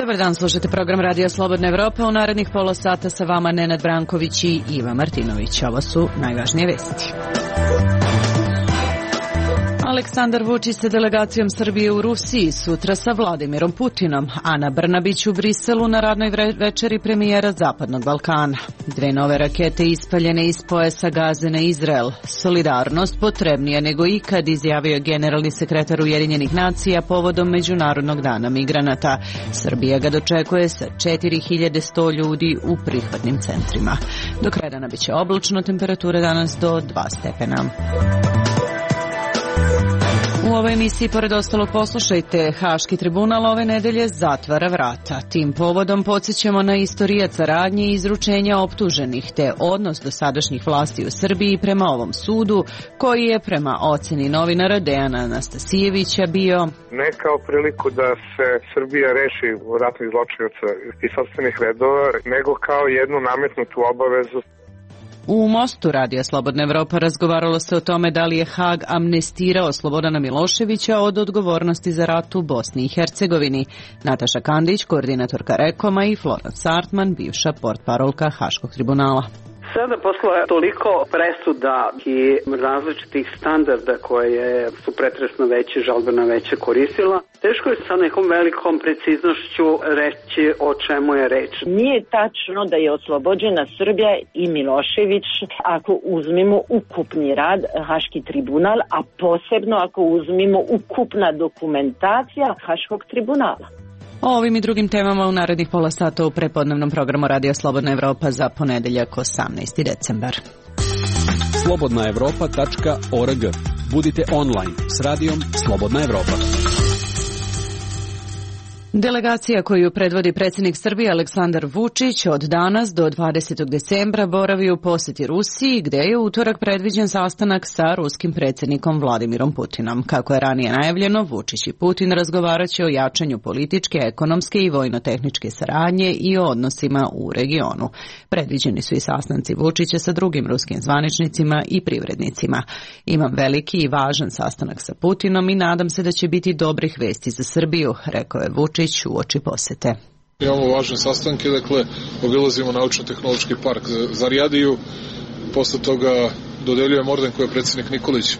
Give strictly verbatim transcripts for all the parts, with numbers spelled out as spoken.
Dobar dan, slušate program Radija Slobodna Evropa. U narednih pola sata sa vama Nenad Branković i Iva Martinović. Ovo su najvažnije vesti. Aleksandar Vučić sa delegacijom Srbije u Rusiji, sutra sa Vladimirom Putinom, Ana Brnabić u Briselu na radnoj večeri premijera Zapadnog Balkana. Dve nove rakete ispaljene iz pojasa Gaze na Izrael. Solidarnost potrebnija nego ikad, izjavio generalni sekretar Ujedinjenih nacija povodom Međunarodnog dana migranata. Srbija ga dočekuje sa četiri hiljade sto ljudi u prihvatnim centrima. Do kraja dana biće oblačno, temperature danas do dva stepena. U ovoj emisiji, pored ostalog, poslušajte, Haški tribunal ove nedelje zatvara vrata. Tim povodom podsjećamo na istorijat radnje i izručenja optuženih, te odnos dosadašnjih vlasti u Srbiji prema ovom sudu, koji je prema oceni novinara Dejana Anastasijevića bio ne kao priliku da se Srbija reši ratnih zločinaca iz sopstvenih redova, nego kao jednu nametnutu obavezu. U Mostu Radija Slobodna Evropa razgovaralo se o tome da li je Hag amnestirao Slobodana Miloševića od odgovornosti za rat u Bosni i Hercegovini. Nataša Kandić, koordinatorka Rekoma, i Florence Sartman, bivša portparolka Haškog tribunala. Sada posle toliko presuda i različitih standarda koje su pretresno veće, žalbena veće koristila, teško je sa nekom velikom preciznošću reći o čemu je reč. Nije tačno da je oslobođena Srbija i Milošević ako uzmemo ukupni rad Haški tribunal, a posebno ako uzmemo ukupna dokumentacija Haškog tribunala. O ovim i drugim temama u narednih pola sata u prepodnevnom programu Radio Slobodna Evropa za ponedeljak osamnaesti decembar. slobodna evropa tačka org. Budite online s radijom Slobodna Evropa. Delegacija koju predvodi predsjednik Srbije Aleksandar Vučić od danas do dvadesetog decembra boravi u posjeti Rusiji, gdje je utorak predviđen sastanak sa ruskim predsjednikom Vladimirom Putinom. Kako je ranije najavljeno, Vučić i Putin razgovarat će o jačanju političke, ekonomske i vojno-tehničke saradnje i o odnosima u regionu. Predviđeni su i sastanci Vučića sa drugim ruskim zvaničnicima i privrednicima. Imam veliki i važan sastanak sa Putinom i nadam se da će biti dobrih vesti za Srbiju, rekao je Vučić u oči posete. Imamo važne sastanke, dakle, obilazimo naučno-tehnološki park Zarijadiju, posle toga dodeljujemo orden koji je predsjednik Nikolić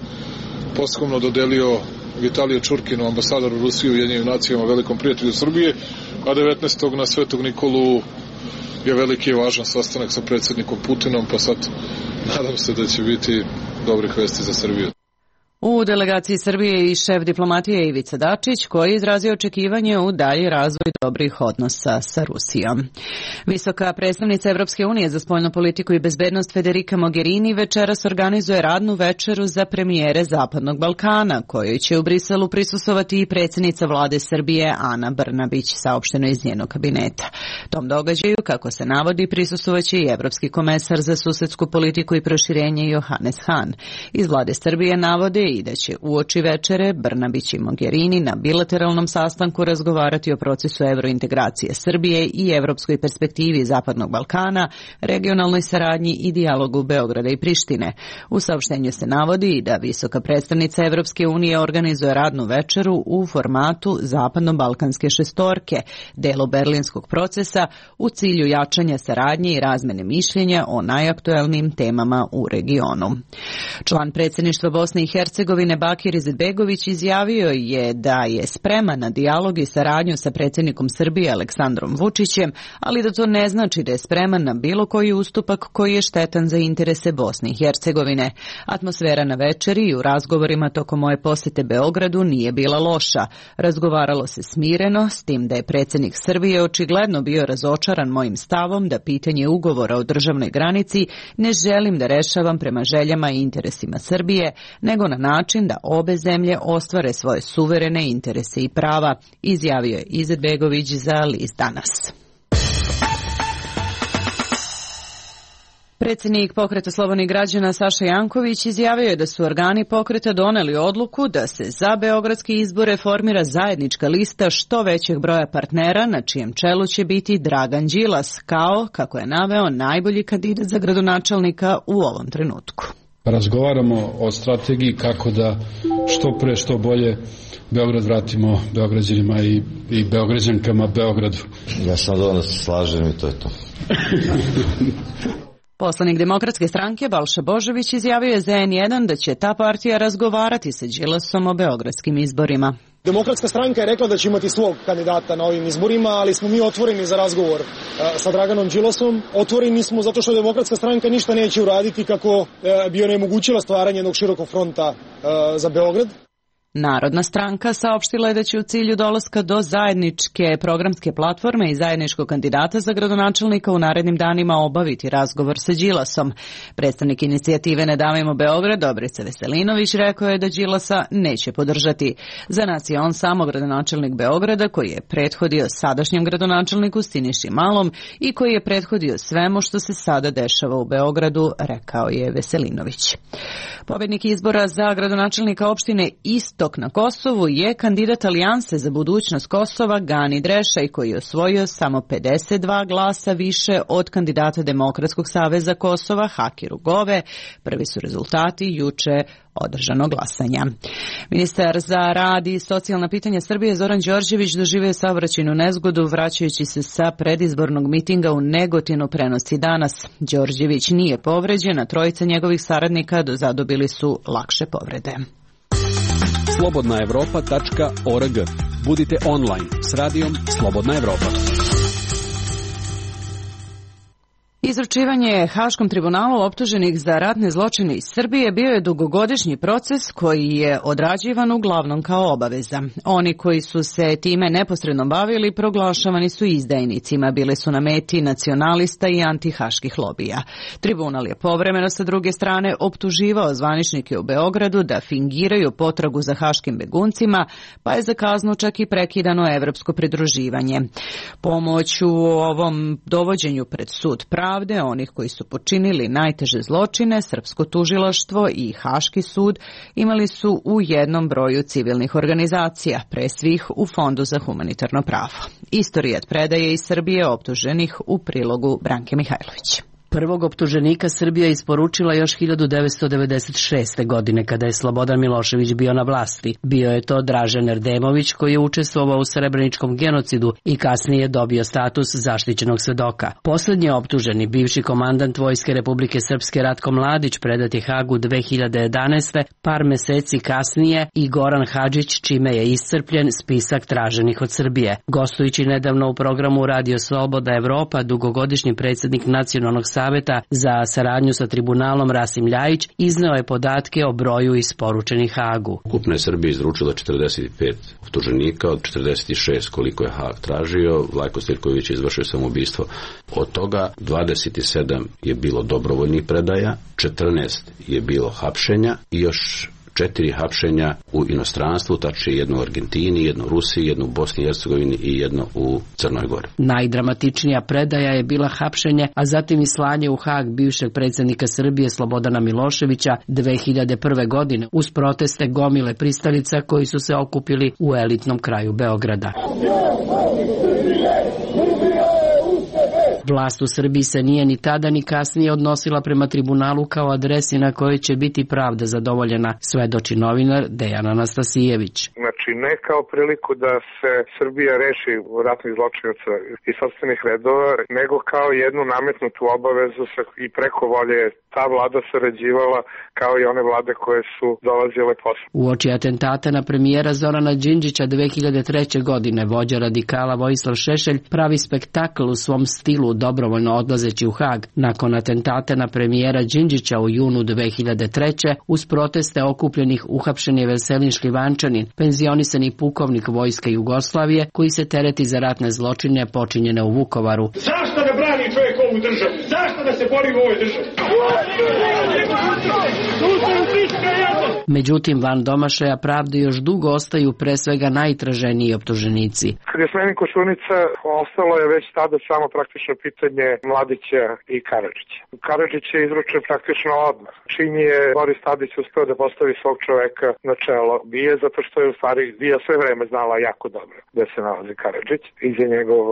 posthumno dodelio Vitaliju Čurkinu, ambasadoru Rusije u Ujedinjenim nacijama, velikom prijatelju Srbije, a devetnaestog na Svetog Nikolu je veliki i važan sastanak sa predsjednikom Putinom, pa sad nadam se da će biti dobrih vesti za Srbiju. U delegaciji Srbije i šef diplomatije Ivica Dačić, koji je izrazio očekivanje u dalji razvoj dobrih odnosa sa Rusijom. Visoka predstavnica Evropske unije za spoljnu politiku i bezbednost Federica Mogherini večeras organizuje radnu večeru za premijere Zapadnog Balkana, kojoj će u Briselu prisustvovati i predsjednica vlade Srbije Ana Brnabić, saopšteno iz njenog kabineta. Tom događaju, kako se navodi, prisustvovaće i evropski komesar za susedsku politiku i proširenje Johannes Hahn. Iz vlade Srbije navode i da će uoči večere Brnabić i Mogherini na bilateralnom sastanku razgovarati o procesu evrointegracije Srbije i evropskoj perspektivi Zapadnog Balkana, regionalnoj saradnji i dijalogu Beograda i Prištine. U saopštenju se navodi da visoka predstavnica Evropske unije organizuje radnu večeru u formatu Zapadno-balkanske šestorke, delu berlinskog procesa, u cilju jačanja saradnje i razmene mišljenja o najaktuelnijim temama u regionu. Član predsjedništva Bosne i Hercegovine Bakir Izetbegović izjavio je da je spreman na dijalog i saradnju sa predsjednikom Srbije Aleksandrom Vučićem, ali da to ne znači da je spreman na bilo koji ustupak koji je štetan za interese Bosne i Hercegovine. Atmosfera na večeri i u razgovorima tokom moje posjete Beogradu nije bila loša. Razgovaralo se smireno, s tim da je predsjednik Srbije očigledno bio razočaran mojim stavom da pitanje ugovora o državnoj granici ne želim da rešavam prema željama i interesima Srbije, nego na način da obe zemlje ostvare svoje suverene interese i prava, izjavio je Izetbegović za list Danas. Predsjednik Pokreta slobodnih građana Saša Janković izjavio je da su organi pokreta doneli odluku da se za beogradske izbore formira zajednička lista što većeg broja partnera, na čijem čelu će biti Dragan Đilas, kao, kako je naveo, najbolji kandidat za gradonačelnika u ovom trenutku. Razgovaramo o strategiji kako da što pre, što bolje Beograd vratimo Beograđanima i, i Beograđankama Beogradu. Ja sam dovoljno se slažem i to je to. Poslanik Demokratske stranke Balša Božović izjavio je za en jedan da će ta partija razgovarati sa Đilasom o beogradskim izborima. Demokratska stranka je rekla da će imati svog kandidata na ovim izborima, ali smo mi otvoreni za razgovor sa Draganom Đilasom. Otvoreni smo zato što Demokratska stranka ništa neće uraditi kako bi onemogućila stvaranje jednog širokog fronta za Beograd. Narodna stranka saopštila je da će u cilju dolaska do zajedničke programske platforme i zajedničkog kandidata za gradonačelnika u narednim danima obaviti razgovor sa Đilasom. Predstavnik inicijative Ne davimo Beograd, Dobrica Veselinović, rekao je da Đilasa neće podržati. Za nas je on samo gradonačelnik Beograda koji je prethodio sadašnjem gradonačelniku Siniši Malom i koji je prethodio svemu što se sada dešava u Beogradu, rekao je Veselinović. Pobednik izbora za gradonačelnika opštine Istok na Kosovu je kandidat Alijanse za budućnost Kosova Gani Drešaj, koji je osvojio samo pedeset dva glasa više od kandidata Demokratskog saveza Kosova Hakiru Gove. Prvi su rezultati juče održanog glasanja. Ministar za rad i socijalna pitanja Srbije Zoran Đorđević doživio saobraćajnu nezgodu vraćajući se sa predizbornog mitinga u Negotinu, prenosi danas. Đorđević nije povređen, a trojica njegovih saradnika zadobili su lakše povrede. slobodna evropa tačka org. Budite online s radijom Slobodna Evropa. Izručivanje Haškom tribunalu optuženih za ratne zločine iz Srbije bio je dugogodišnji proces koji je odrađivan uglavnom kao obaveza. Oni koji su se time neposredno bavili proglašavani su izdajnicima, bili su na meti nacionalista i antihaških lobija. Tribunal je povremeno sa druge strane optuživao zvaničnike u Beogradu da fingiraju potragu za haškim beguncima, pa je za kaznu čak i prekidano evropsko pridruživanje. Pomoć u ovom dovođenju pred sud pravde onih koji su počinili najteže zločine, srpsko tužilaštvo i Haški sud imali su u jednom broju civilnih organizacija, pre svih u Fondu za humanitarno pravo. Istorijat predaje iz Srbije optuženih u prilogu Branke Mihajlović. Prvog optuženika Srbija isporučila još hiljadu devetsto devedeset šeste. godine kada je Slobodan Milošević bio na vlasti. Bio je to Dražen Erdemović koji je učestvovao u srebreničkom genocidu i kasnije dobio status zaštićenog svedoka. Poslednji optuženi, bivši komandant Vojske Republike Srpske Ratko Mladić, predat je Hagu dve hiljade jedanaeste. par meseci kasnije i Goran Hadžić, čime je iscrpljen spisak traženih od Srbije. Gostujući nedavno u programu Radio Slobodna Evropa, dugogodišnji predsjednik Nacionalnog saveta za saradnju sa tribunalom Rasim Ljajić izneo je podatke o broju isporučenih Hagu. Ukupno je Srbija izručila četrdeset pet optuženika, od četrdeset šest koliko je Hag tražio. Vlajko Stirković je izvršio samoubistvo. Od toga dvadeset sedam je bilo dobrovoljnih predaja, četrnaest je bilo hapšenja i još četiri hapšenja u inostranstvu, tačnije jedno u Argentini, jedno u Rusiji, jedno u Bosni i Hercegovini i jedno u Crnoj Gori. Najdramatičnija predaja je bila hapšenje, a zatim i slanje u Hag bivšeg predsjednika Srbije Slobodana Miloševića dve hiljade prve. godine uz proteste gomile pristalica koji su se okupili u elitnom kraju Beograda. Vlast u Srbiji se nije ni tada ni kasnije odnosila prema tribunalu kao adresi na kojoj će biti pravda zadovoljena, svedoči novinar Dejan Anastasijević. Znači ne kao priliku da se Srbija reši ratnih zločinaca iz sopstvenih redova, nego kao jednu nametnutu obavezu sa, i preko volje ta vlada sarađivala kao i one vlade koje su dolazile posle. Uoči atentata na premijera Zorana Đinđića dve hiljade treće. godine vođa radikala Vojislav Šešelj pravi spektakl u svom stilu dobrovoljno odlazeći u Hag. Nakon atentata na premijera Đinđića u junu dve hiljade treće. uz proteste okupljenih uhapšen je Veselin Šljivančanin, penzionisani pukovnik Vojske Jugoslavije koji se tereti za ratne zločine počinjene u Vukovaru. Zašto da brani čovjek ovu državu? Zašto da se bori u ovoj državi? Međutim, van domašaja pravde još dugo ostaju pre svega najtraženiji optuženici. Kad je smenjen Koštunica, ostalo je već tada samo praktično pitanje Mladića i Karadžića. Karadžić je izručen praktično odmah. Čim je Boris Tadić uspeo da postavi svog čoveka na čelo bije, zato što je u stvari bija sve vreme znala jako dobro da se nalazi Karadžić i za njegov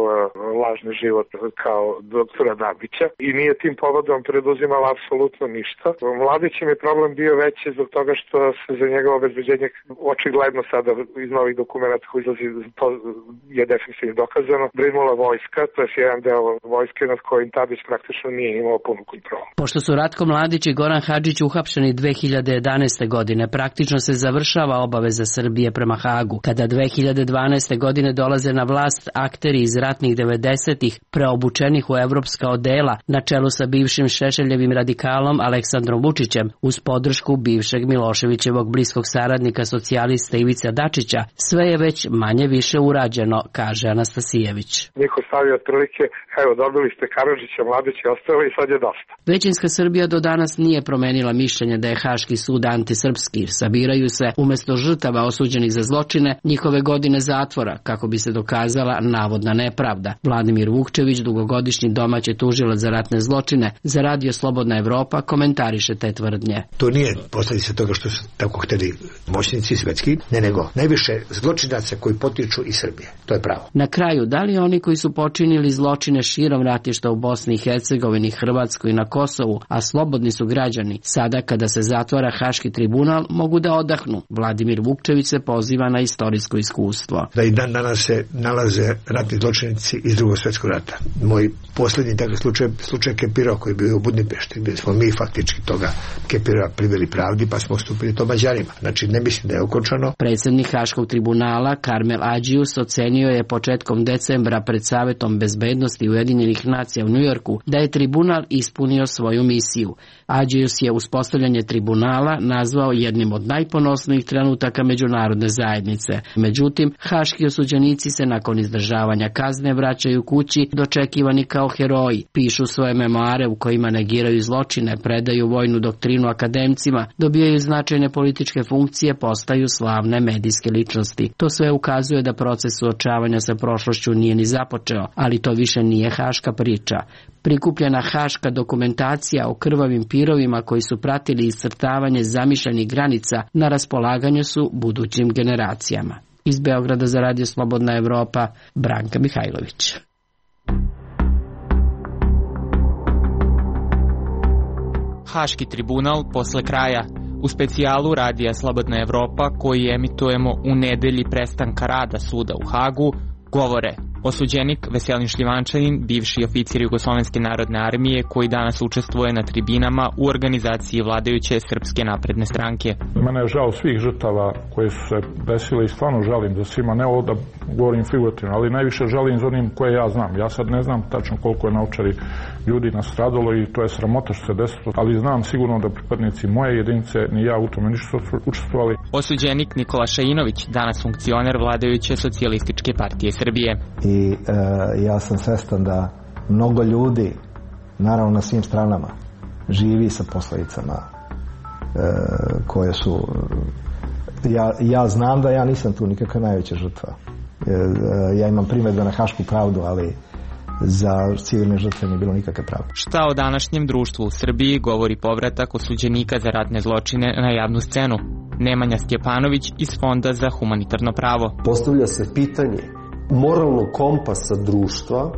lažni život kao doktora Dabića i nije tim povodom preduzimala apsolutno ništa. Mladićem je problem bio veći zbog toga što se za njegovo obezbeđenje očigledno sada iz novih dokumenta koji izlazi, to je definitivno dokazano, brinula vojska, to je jedan deo vojske nad kojim Tadić praktično nije imao punu kontrolu. Pošto su Ratko Mladić i Goran Hadžić uhapšeni dve hiljade jedanaeste. godine, praktično se završava obaveza Srbije prema Hagu. Kada dve hiljade dvanaeste. godine dolaze na vlast akteri iz ratnih devedesetih preobučenih u evropska odela na čelu sa bivšim Šešeljevim radikalom Aleksandrom Vučićem uz podršku bivšeg Miloševićevog bliskog saradnika socijalista Ivice Dačića, sve je već manje više urađeno, kaže Anastasijević. Niko stavio otprilike, evo dobili ste Karadžića, Mladića i ostalo i sad je dosta. Većinska Srbija do danas nije promenila mišljenje da je Haški sud antisrpski. Sabiraju se umesto žrtava osuđenih za zločine njihove godine zatvora kako bi se dokazala navodna nepravda. Vladimir Vukčević, dugogodišnji domaći tužilac za ratne zločine, za Radio Slobodna Evropa komentariše te tvrdnje. To nije posljedica toga što su tako hteli moćnici svetski, ne nego najviše zločinaca koji potiču iz Srbije. To je pravo. Na kraju, da li oni koji su počinili zločine širom ratišta u Bosni i Hercegovini, Hrvatskoj i na Kosovu, a slobodni su građani, sada kada se zatvara Haški tribunal, mogu da odahnu? Vladimir Vukčević se poziva na istorijsko iskustvo. Da i dan danas se nalaze ratni zločinici iz Drugog svjetskog rata. Moj posljednji takav slučaj, slučaj Kepirova koji je bio u Budimpešti, gdje smo mi faktički toga Kepirova priveli pravdi pa smo ustupili to Mađarima. Znači ne mislim da je okončano. Predsjednik Haškog tribunala Karmel Adžius ocenio je početkom decembra pred Savetom bezbednosti Ujedinjenih nacija u Njujorku da je tribunal ispunio svoju misiju. Adžius je uspostavljanje tribunala nazvao jednim od najponosnijih trenutaka međunarodne zajednice. Međutim, haški osuđenici se nakon izdržavanja kazne vraćaju kući dočekivani kao heroji, pišu svoje memoare u kojima negiraju zločine, predaju vojnu doktrinu akademcima, dobijaju značajne političke funkcije, postaju slavne medijske ličnosti. To sve ukazuje da proces suočavanja sa prošlošću nije ni započeo, ali to više nije haška priča. Prikupljena haška dokumentacija o krvavim pirovima koji su pratili iscrtavanje zamišljenih granica na raspolaganju su budućim generacijama. Iz Beograda za Radio Slobodna Evropa, Branka Mihajlović. Haški tribunal posle kraja. U specijalu Radija Slobodna Evropa, koji emitujemo u nedelji prestanka rada suda u Hagu, govore osuđenik Veselin Šljivančanin, bivši oficir Jugoslovenske narodne armije koji danas učestvuje na tribinama u organizaciji vladajuće Srpske napredne stranke. Mene je žao svih žrtava koje su se desile i stvarno žalim za svima, ne ovo da govorim figurativno, ali najviše žalim za onim koje ja znam. Ja sad ne znam tačno koliko je na Ovčari ljudi nastradalo i to je sramota što se desilo, ali znam sigurno da pripadnici moje jedinice ni ja u tome nisu učestvovali. Osuđenik Nikola Šainović, danas funkcioner vladajuće Socijalističke partije Srbije. I e, ja sam svestan da mnogo ljudi, naravno na svim stranama, živi sa posljedicama e, koje su... Ja, ja znam da ja nisam tu nikakva najveća žrtva. E, ja imam primjedbe na hašku pravdu, ali za civilne žrtve nije bilo nikakve pravde. Šta o današnjem društvu u Srbiji govori povratak osuđenika za ratne zločine na javnu scenu? Nemanja Stjepanović iz Fonda za humanitarno pravo. Postavlja se pitanje moralnog kompasa društva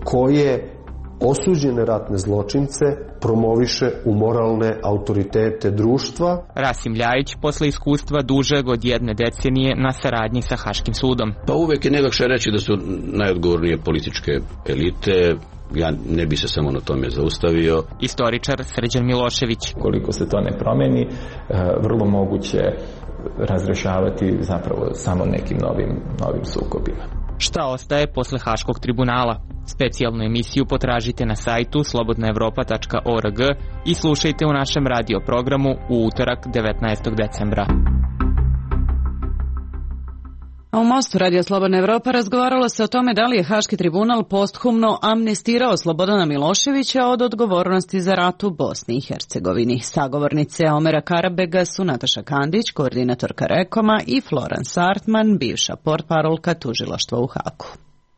koje osuđene ratne zločince promoviše u moralne autoritete društva. Rasim Ljajić, posle iskustva dužeg od jedne decenije na saradnji sa Haškim sudom. Pa uvek je najlakše reći da su najodgovornije političke elite. Ja ne bi se samo na tome zaustavio. Istoričar Srđan Milošević. Koliko se to ne promeni, vrlo moguće razrešavati zapravo samo nekim novim, novim sukobima. Šta ostaje posle Haškog tribunala? Specijalnu emisiju potražite na sajtu slobodna evropa tačka org i slušajte u našem radio programu u utorak devetnaestog decembra. A u Mostu Radio Slobodna Evropa razgovaralo se o tome da li je Haški tribunal posthumno amnestirao Slobodana Miloševića od odgovornosti za rat u Bosni i Hercegovini. Sagovornice Omera Karabega su Nataša Kandić, koordinatorka Rekoma, i Florence Artman, bivša portparolka tužilaštva u Hagu.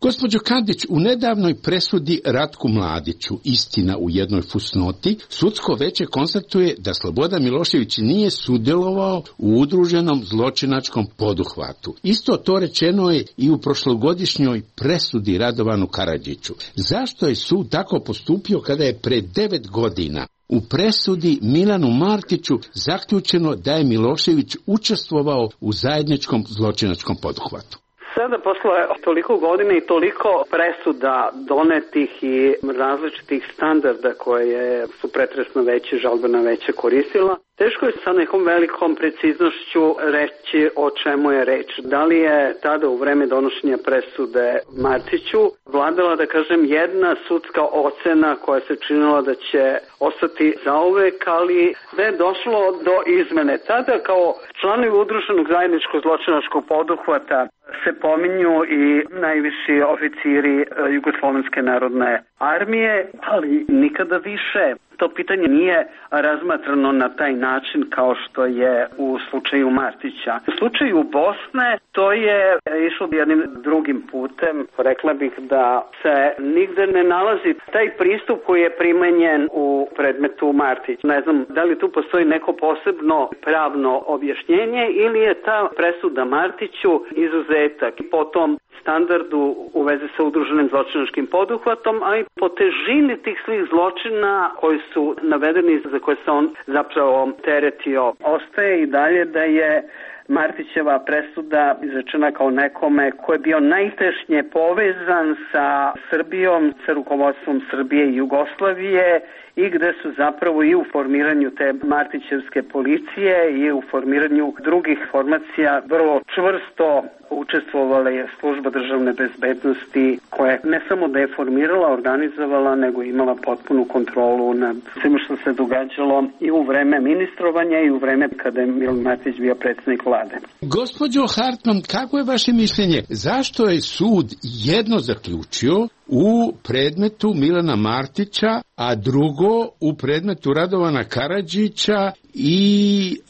Gospođo Kandić, u nedavnoj presudi Ratku Mladiću, istina u jednoj fusnoti, sudsko veće konstatuje da Slobodan Milošević nije sudjelovao u udruženom zločinačkom poduhvatu. Isto to rečeno je i u prošlogodišnjoj presudi Radovanu Karadžiću. Zašto je sud tako postupio kada je pre devet godina u presudi Milanu Martiću zaključeno da je Milošević učestvovao u zajedničkom zločinačkom poduhvatu. Sada, posle toliko godina i toliko presuda donetih i različitih standarda koje su pretresno veće, žalbena veće koristila, teško je sa nekom velikom preciznošću reći o čemu je reč. Da li je tada u vreme donošenja presude Martiću vladala, da kažem, jedna sudska ocena koja se činila da će ostati zauvek, ali da je došlo do izmene. Tada kao članovi udruženog zajedničkog zločinačkog poduhvata se pominju i najviši oficiri Jugoslovenske narodne armije, ali nikada više to pitanje nije razmatrano na taj način kao što je u slučaju Martića. U slučaju Bosne to je išlo jednim drugim putem. Rekla bih da se nigde ne nalazi taj pristup koji je primenjen u predmetu Martić. Ne znam da li tu postoji neko posebno pravno objašnjenje ili je ta presuda Martiću izuzetak i potom standardu u vezi sa udruženim zločinačkim poduhvatom, a i po težini tih svih zločina koji su navedeni za koje se on zapravo teretio. Ostaje i dalje da je Martićeva presuda izrečena kao nekome ko je bio najtešnje povezan sa Srbijom, sa rukovodstvom Srbije i Jugoslavije i gde su zapravo i u formiranju te Martićevske policije i u formiranju drugih formacija vrlo čvrsto učestvovala je služba državne bezbednosti koja ne samo da je formirala, organizovala, nego imala potpunu kontrolu nad svim što se događalo i u vreme ministrovanja i u vreme kada je Milan Martić bio predsjednik vlade. Gospođo Hartman, kako je vaše mišljenje? Zašto je sud jedno zaključio u predmetu Milana Martića, a drugo u predmetu Radovana Karadžića i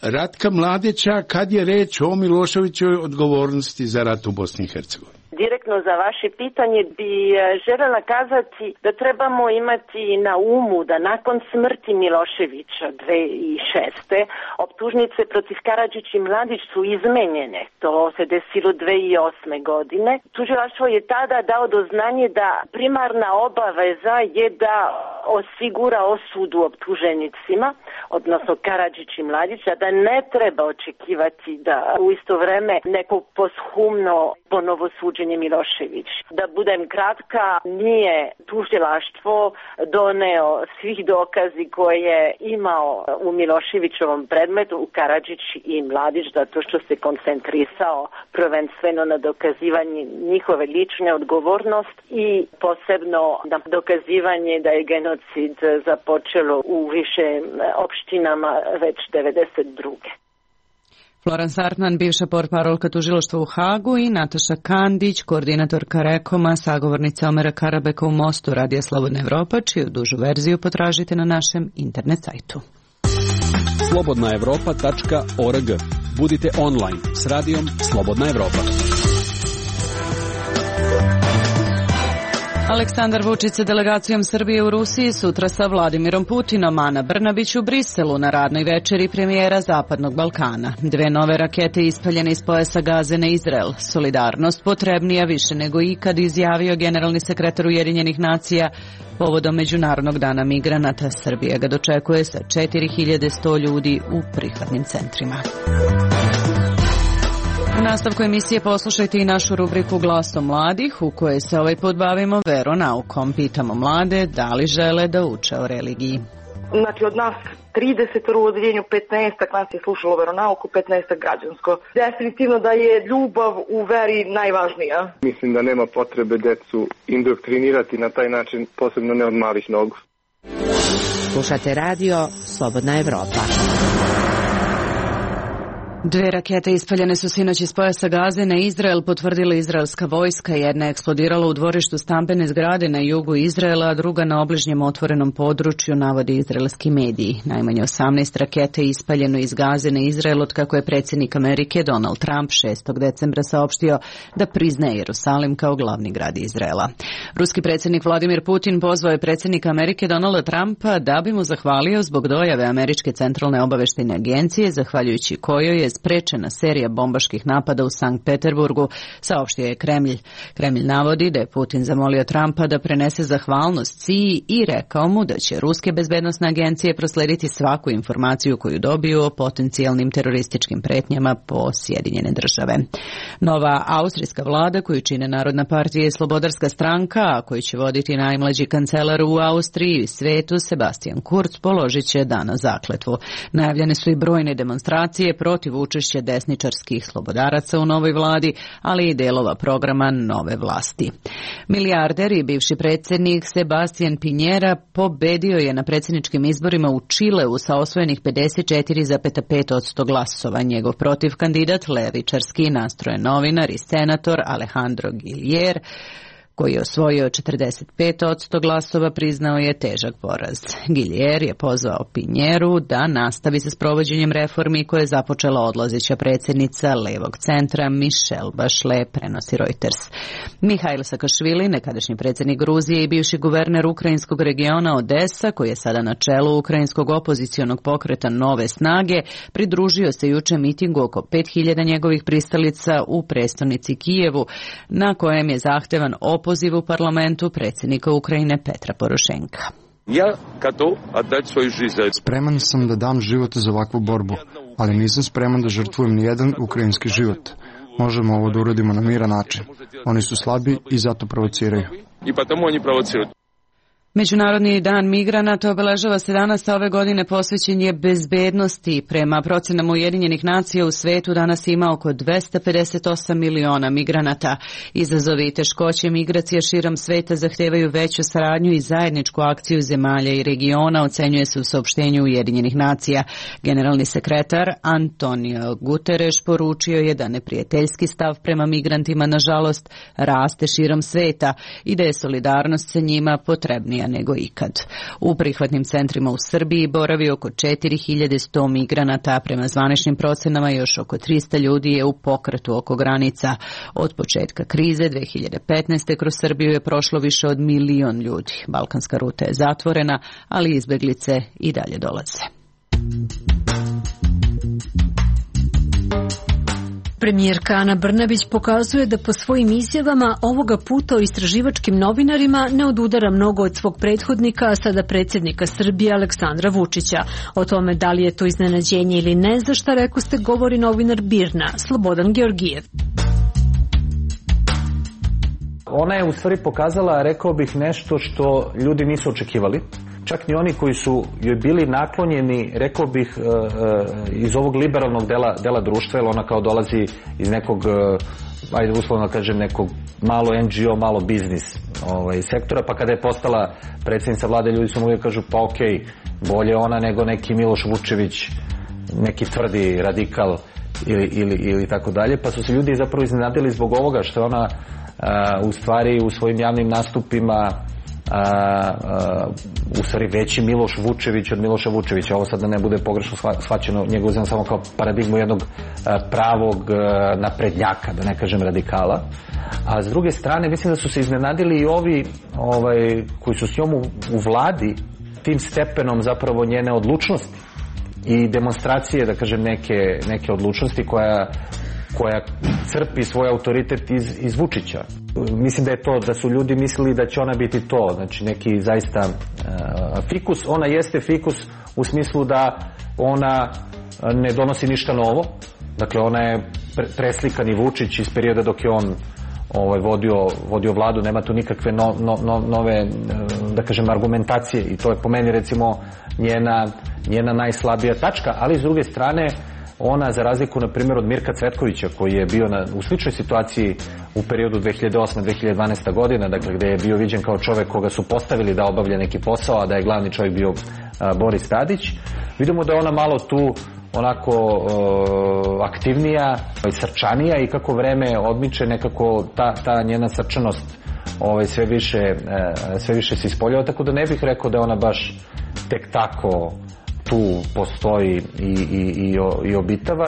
Ratka Mladića kad je reč o Miloševićevoj odgovornosti za rat u Bosni i Hercegovini? Direktno za vaše pitanje bi željela kazati da trebamo imati na umu da nakon smrti Miloševića dve hiljade šeste. optužnice protiv Karadžić i Mladić su izmenjene. To se desilo dve hiljade osme. godine. Tužilaštvo je tada dao do znanje da primarna obaveza je da osigura osudu optuženicima, odnosno Karadžić i Mladić, a da ne treba očekivati da u isto vreme neko poshumno ponovo suđenje Milošević. Da budem kratka, nije tužilaštvo doneo svih dokazi koje je imao u Miloševićovom predmetu u Karadžić i Mladić, zato što se koncentrisao prvenstveno na dokazivanje njihove lične odgovornost i posebno na dokazivanje da je genocid započelo u više opštinama već devedeset druge. Florence Hartman, bivša portparolka tužilaštva u Hagu, i Nataša Kandić, koordinatorka Rekoma, sagovornica Omera Karabeka u Mostu, Radija Slobodna Evropa, čiju dužu verziju potražite na našem internet sajtu. slobodna evropa tačka org. Budite online s radijom Slobodna Evropa. Aleksandar Vučić sa delegacijom Srbije u Rusiji sutra sa Vladimirom Putinom, Ana Brnabić u Briselu na radnoj večeri premijera Zapadnog Balkana. Dve nove rakete ispaljene iz pojasa Gaze na Izrael. Solidarnost potrebnija više nego ikad, izjavio generalni sekretar Ujedinjenih nacija povodom Međunarodnog dana migranata. Srbija ga dočekuje sa četiri hiljade sto ljudi u prihvatnim centrima. U nastavku emisije poslušajte i našu rubriku Glasom mladih, u kojoj se ovaj put bavimo veronaukom. Pitamo mlade da li žele da uče o religiji. Znači od nas trideset u odeljenju, petnaest nas je slušalo veronauku, petnaest građansko. Definitivno da je ljubav u veri najvažnija. Mislim da nema potrebe decu indoktrinirati na taj način, posebno ne od malih nogu. Slušate radio Slobodna Evropa. Dve rakete ispaljene su sinoć iz pojasa Gaze na Izrael, potvrdila izraelska vojska. Jedna je eksplodirala u dvorištu stambene zgrade na jugu Izraela, a druga na obližnjem otvorenom području, navodi izraelski mediji. Najmanje osamnaest rakete je ispaljeno iz Gaze na Izrael od kako je predsjednik Amerike Donald Trump šestog decembra saopštio da priznaje Jerusalim kao glavni grad Izraela. Ruski predsjednik Vladimir Putin pozvao je predsjednika Amerike Donalda Trumpa da bi mu zahvalio zbog dojave Američke centralne obaveštajne agencije, zahvaljujući kojoj je nije sprečena serija bombaških napada u Sankt Peterburgu, saopštio je Kremlj. Kremlj navodi da je Putin zamolio Trumpa da prenese zahvalnost C I A i rekao mu da će ruske bezbednosne agencije proslediti svaku informaciju koju dobiju o potencijalnim terorističkim pretnjama po Sjedinjene države. Nova austrijska vlada koju čine Narodna partija i Slobodarska stranka, a koju će voditi najmlađi kancelar u Austriji i svetu Sebastian Kurz, položit će danas zakletvu. Najavljene su i brojne demonstracije protiv učešća desničarskih slobodaraca u novoj vladi, ali i delova programa nove vlasti. Milijarder i bivši predsjednik Sebastian Pinjera pobedio je na predsjedničkim izborima u Čileu sa osvojenih pedeset četiri zarez pet posto glasova. Njegov protiv kandidat, levičarski nastrojen novinar i senator Alejandro Gillier, koji je osvojio četrdeset pet posto glasova, priznao je težak poraz. Gillier je pozvao Pinjeru da nastavi sa sprovođenjem reformi koje je započela odlazeća predsjednica levog centra Michelle Bachelet, prenosi Reuters. Mihajl Sakašvili, nekadašnji predsjednik Gruzije i bivši guverner ukrajinskog regiona Odesa, koji je sada na čelu ukrajinskog opozicionog pokreta Nove snage, pridružio se juče mitingu oko pet hiljada njegovih pristalica u prestonici Kijevu, na kojem je zahtevan opoziv poziv u parlamentu predsjednika Ukrajine Petra Porošenka. Ja готов отдать свою жизнь. Spreman sam da dam život za ovakvu borbu, ali nisam spreman da žrtvujem ni jedan ukrajinski život. Možemo ovo da uradimo na miran način. Oni su slabi i zato provociraju. I потому они провоцируют. Međunarodni dan migranata obeležava se danas, a ove godine posvećen je bezbednosti. Prema procenama Ujedinjenih nacija u svetu danas ima oko dvesta pedeset osam miliona migranata. Izazovi i teškoće migracija širom sveta zahtevaju veću saradnju i zajedničku akciju zemalja i regiona, ocenjuje se u saopštenju Ujedinjenih nacija. Generalni sekretar Antonio Guterres poručio je da neprijateljski stav prema migrantima, nažalost, raste širom sveta i da je solidarnost sa njima potrebnija nego ikad. U prihvatnim centrima u Srbiji boravi oko četiri hiljade sto migranata, a prema zvaničnim procenama još oko trista ljudi je u pokretu oko granica. Od početka krize dve hiljade petnaeste. kroz Srbiju je prošlo više od milion ljudi. Balkanska ruta je zatvorena, ali izbeglice i dalje dolaze. Premijerka Ana Brnabić pokazuje da po svojim izjavama ovoga puta o istraživačkim novinarima ne odudara mnogo od svog prethodnika, a sada predsjednika Srbije Aleksandra Vučića. O tome da li je to iznenađenje ili ne, za šta rekoste govori novinar Birna, Slobodan Georgijev. Ona je u stvari pokazala, rekao bih, nešto što ljudi nisu očekivali. Čak ni oni koji su joj bili naklonjeni, rekao bih, iz ovog liberalnog dela, dela društva, jer ona kao dolazi iz nekog, ajde uslovno kažem, nekog malo en ge o, malo biznis ovaj, sektora, pa kada je postala predsjednica vlade, ljudi su mogli da kažu, pa okej, okay, bolje ona nego neki Miloš Vučević, neki tvrdi radikal ili, ili, ili tako dalje, pa su se ljudi zapravo iznenadili zbog ovoga što je ona a, u stvari u svojim javnim nastupima A, a, u stvari veći Miloš Vučević od Miloša Vučevića. Ovo sad da ne bude pogrešno shvaćeno, njega uzem samo kao paradigmu jednog a, pravog a, naprednjaka, da ne kažem radikala. A s druge strane, mislim da su se iznenadili i ovi ovaj, koji su s njom u, u vladi tim stepenom zapravo njene odlučnosti i demonstracije, da kažem, neke, neke odlučnosti koja koja crpi svoj autoritet iz, iz Vučića. Mislim da je to, da su ljudi mislili da će ona biti to, znači neki zaista uh, fikus. Ona jeste fikus u smislu da ona ne donosi ništa novo. Dakle, ona je pre, preslikani Vučić iz perioda dok je on ovaj, vodio, vodio vladu, nema tu nikakve no, no, no, nove, da kažem, argumentacije i to je po meni recimo njena, njena najslabija tačka, ali s druge strane ona, za razliku, na primjer, od Mirka Cvetkovića, koji je bio na, u sličnoj situaciji u periodu dve hiljade osme do dve hiljade dvanaeste. godine, dakle, gde je bio viđen kao čovek koga su postavili da obavlja neki posao, a da je glavni čovjek bio a, Boris Tadić. Vidimo da je ona malo tu onako o, aktivnija i srčanija i kako vreme odmiče, nekako ta, ta njena srčanost ovaj, sve više, e, sve više se ispoljava, tako da ne bih rekao da je ona baš tek tako tu postoji i, i, i, i obitava.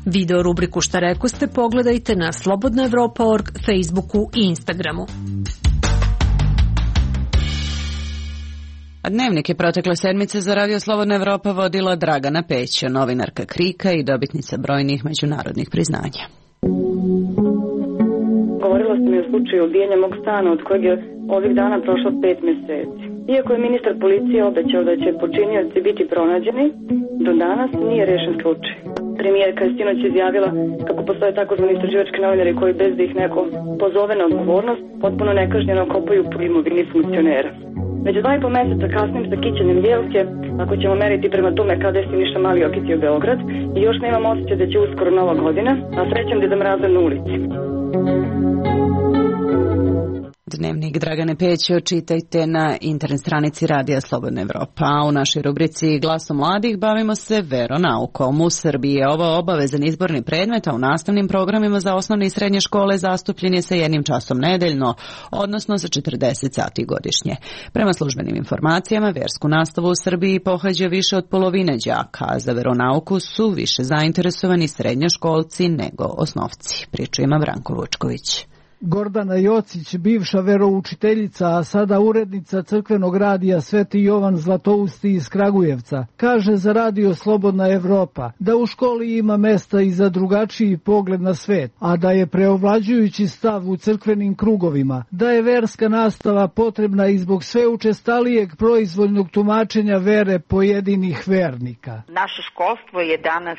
Video rubriku Šta rekoste pogledajte na slobodna evropa tačka org, Facebooku i Instagramu. A Dnevnik je protekle sedmice za Radio Slobodna Evropa vodila Dragana Pećo, novinarka Krika i dobitnica brojnih međunarodnih priznanja. Govorilo se mi o slučaju ubijanja mog stana od kojeg je ovih dana prošlo pet meseci. Iako je ministar policije obećao da će počinioci biti pronađeni, do danas nije rešen slučaj. Premijerka je sinoć izjavila kako postoje takozvani istraživački novinari koji bez da ih neko pozove na odgovornost potpuno nekažnjeno kopaju po imovini funkcionera. Već dva i po meseca kasnim sa kićenjem jelke, ako ćemo meriti prema tome kada je Siniša Mali okitio Beograd, i još nemam osjećaj da će uskoro nova godina, a srećem Deda Mraza na ulici. Dnevnik Dragane Pećo čitajte na internet stranici Radija Slobodna Evropa. A u našoj rubrici Glasom mladih bavimo se veronaukom. U Srbiji je ovo obavezan izborni predmet, a u nastavnim programima za osnovne i srednje škole zastupljen je sa jednim časom nedeljno, odnosno za četrdeset sati godišnje. Prema službenim informacijama, versku nastavu u Srbiji pohađa više od polovine đaka, a za veronauku su više zainteresovani srednjoškolci nego osnovci. Priču ima Branko Vučković. Gordana Jocić, bivša veroučiteljica, a sada urednica crkvenog radija Sveti Jovan Zlatousti iz Kragujevca, kaže za Radio Slobodna Evropa da u školi ima mesta i za drugačiji pogled na svet, a da je preovlađujući stav u crkvenim krugovima, da je verska nastava potrebna i zbog sve učestalijeg proizvoljnog tumačenja vere pojedinih vernika. Naše školstvo je danas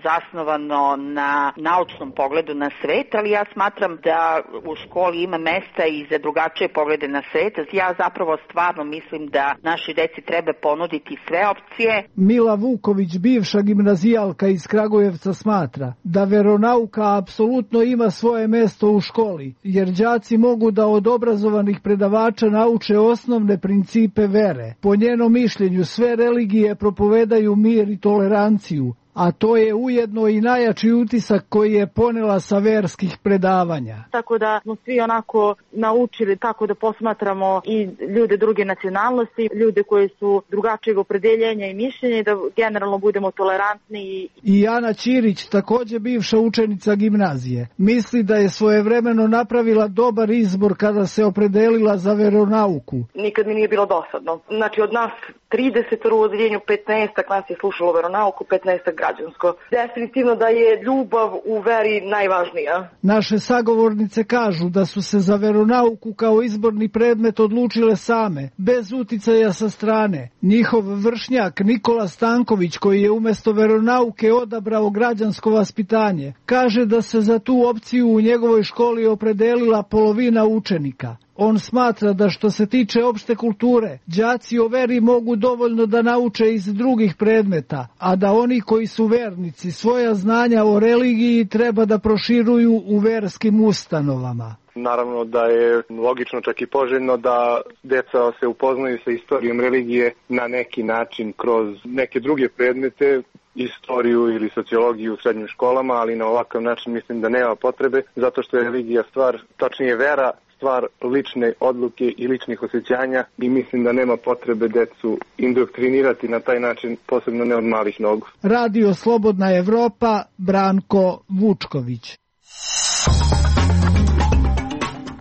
zasnovano na naučnom pogledu na svet, ali ja smatram da u školi ima mesta i za drugačije poglede na svet. Ja zapravo stvarno mislim da našoj deci treba ponuditi sve opcije. Mila Vuković, bivša gimnazijalka iz Kragujevca, smatra da veronauka apsolutno ima svoje mesto u školi, jer đaci mogu da od obrazovanih predavača nauče osnovne principe vere. Po njenom mišljenju sve religije propovedaju mir i toleranciju, a to je ujedno i najjači utisak koji je ponela sa verskih predavanja. Tako da smo svi onako naučili kako da posmatramo i ljude druge nacionalnosti, ljude koji su drugačijeg opredeljenja i mišljenja i da generalno budemo tolerantni. I Ana Ćirić, također bivša učenica gimnazije, misli da je svojevremeno napravila dobar izbor kada se opredelila za veronauku. Nikad mi nije bilo dosadno. Znači od nas trideset u odeljenju, petnaestak nas je slušalo veronauku, petnaestak građansko. Definitivno da je ljubav u veri najvažnija. Naše sagovornice kažu da su se za veronauku kao izborni predmet odlučile same, bez uticaja sa strane. Njihov vršnjak Nikola Stanković, koji je umjesto veronauke odabrao građansko vaspitanje, kaže da se za tu opciju u njegovoj školi opredelila polovina učenika. On smatra da što se tiče opšte kulture, đaci o veri mogu dovoljno da nauče iz drugih predmeta, a da oni koji su vernici svoja znanja o religiji treba da proširuju u verskim ustanovama. Naravno da je logično, čak i poželjno, da deca se upoznaju sa istorijom religije na neki način kroz neke druge predmete, istoriju ili sociologiju u srednjim školama, ali na ovakav način mislim da nema potrebe, zato što je religija stvar, tačnije vera, stvar lične odluke i ličnih osjećanja i mislim da nema potrebe decu indoktrinirati na taj način, posebno ne od malih nogu. Radio Slobodna Evropa, Branko Vučković.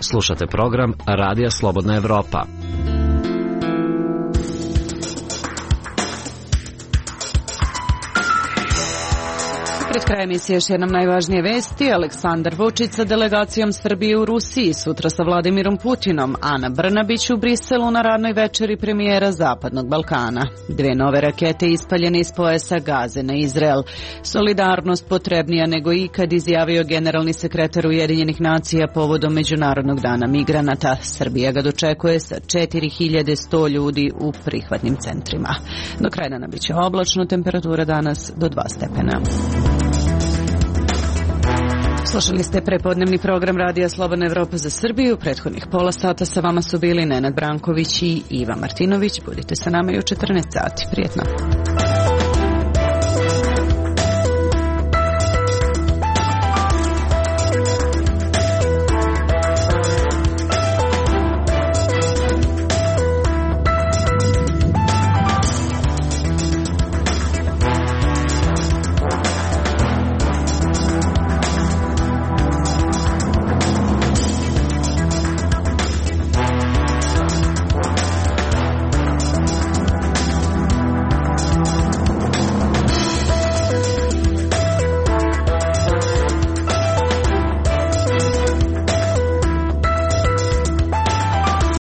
Slušate program Radija Slobodna Evropa. Pred krajem emisije još jednom najvažnije vesti. Aleksandar Vučić sa delegacijom Srbije u Rusiji, sutra sa Vladimirom Putinom, Ana Brnabić u Briselu na radnoj večeri premijera Zapadnog Balkana. Dve nove rakete ispaljene iz pojasa Gaze na Izrael. Solidarnost potrebnija nego ikad, izjavio generalni sekretar Ujedinjenih nacija povodom Međunarodnog dana migranata. Srbija ga dočekuje sa četiri hiljade sto ljudi u prihvatnim centrima. Do kraja dana biće oblačno, temperatura danas do dva stepena. Slušali ste prepodnevni program Radija Slobodna Evropa za Srbiju. Prethodnih pola sata sa vama su bili Nenad Branković i Iva Martinović. Budite sa nama i u četrnaest sati. Prijetno.